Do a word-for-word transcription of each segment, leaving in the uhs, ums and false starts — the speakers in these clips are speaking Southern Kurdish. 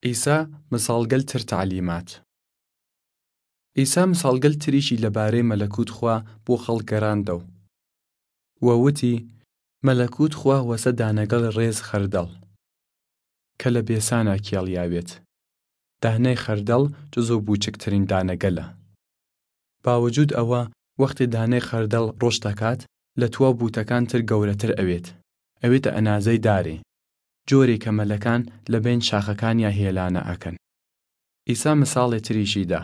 ئیسا مساڵگەل تر تەعلیمات. ئیسا مساڵگەل تریشی لەبارەی مەلەکوت خوا بۆ خەڵک گەراندەو، و وتی، مەلەکوت خوا وەسە دانەگەڵ ڕێز خەردەڵ، کە لە بێسانا کێڵیاوێت. دانەی خەردەڵ جزو بووچکترین دانەگەلە. باوجود ئەوە، وەختێ دانەی خەردەڵ ڕۆشت ئەکات، لە تواو بووتەکان تر گەورەتر ئەوێت، ئەوێتە ئەنازەی دارێ، جۆرێ کە مەلەکان لە بەین شاخەکانیا هێلانە ئەکەن. ئیسا مساڵێ تریشی دا،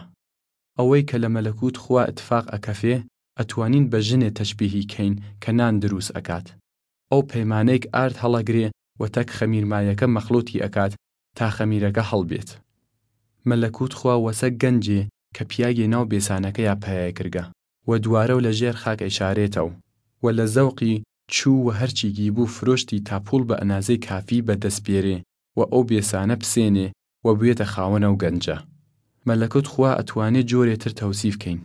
ئەوەی کە لە مەلەکوت خوا ئتفاق ئەکەفێ، ئەتوانین بە ژنێ تەشبیهی کەین کە نان دروس ئەکات. ئەو پەیمانەیگ ئارد هەڵەگرێ و تەک خەمیرمایەکە مەخلوتی ئەکات تا خەمیرەگە هەڵبێت. مەلەکوت خوا وەسە گەنجێ کە پیاگێ ناو بێسانەکەیا پەیاێ کردگە و دووارەو لە ژێر خاک ئەیشارێتەو، و لە زەوقی چوو و هەرچیگی بوو فروشتی تا پووڵ بە ئەنازەی کافی بە دەس بێرێ و ئەو بێسانە بسێنێ و بوێتە خاوەن ئەو گەنجە. مەلەکوت خوا ئەتوانێ جۆرێ تر تەوسیف کەین.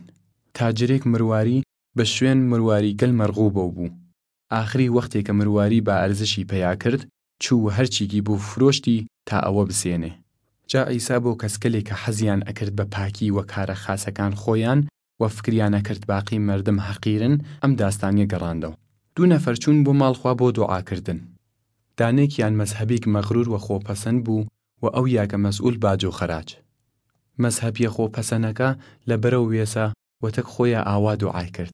تاجرێک مرواری بە شوێن مرواری گەل مەرغوبەو بوو. ئاخری وەختێ کە مرواری با ئەرزشی پەیا کرد، چوو و هەرچیگی بوو فروشتی تا ئەوە بسێنێ. جا ئیسا بۆ کەسکەلێ کە حەزیان ئەکرد بە پاکی و کارە خاسەکان خوەیان و فکریان ئەکرد باقی مەردم حەقیرن، ئەم داستانیە گەڕاندەو. دوو نەفەر چوون بۆ ماڵ خوا بۆ دوعا کردن. دانێکیان مەزهەبیگ مەغرور و خوەپەسەن بوو و ئەویاگە مەسئول باج و خەراج. مەزهەبیە خوەپەسەنەکە لە بەرەو وێسا و تەک خوەیا ئاوا دوعای کرد،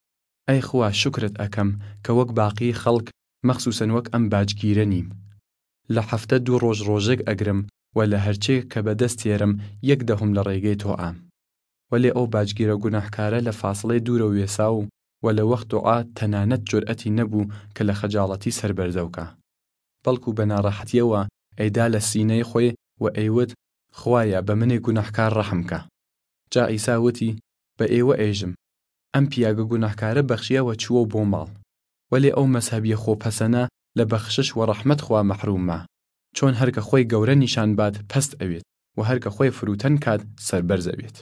ئەی خوا شوکرت ئەکەم کە وەک باقی خەڵک، مەخسوسەن وەک ئەم باجگیرە نیم. لە هەفتە دوو ڕۆژ ڕۆژێگ ئەگرم و لە هەرچێ کە بە دەس تێرم یەک دەهم لە ڕێگەی تۆ ئام. وەلێ ئەو باجگیرە گوناحکارە لە فاسڵەی دوورە وێساو و لە وەخت دوعا تەنانەت جورئەتی نەبوو کە لە خەجاڵەتی سەر بەرزەو کا، بەڵکو بە ناڕەحەتیەوە ئەیدا لە سینەی خوەی و ئەیوت، خوایا بە منێ گوناحکار ڕەحم کە. جا ئیسا وتی، بە ئێوە ئێژم، ئەم پیاگە گوناحکارە بەخشیە و چووەو بۆ ماڵ. وەلێ ئەو مەزهەبیە خوەپەسەنە لە بەخشش و ڕەحمەت خوا مەحروم ما، چۆن هەر کە خوەی گەورە نیشان باد پەست ئەوێت و هەر کە خوەی فروتەن کاد سەربەرز ئەوێت.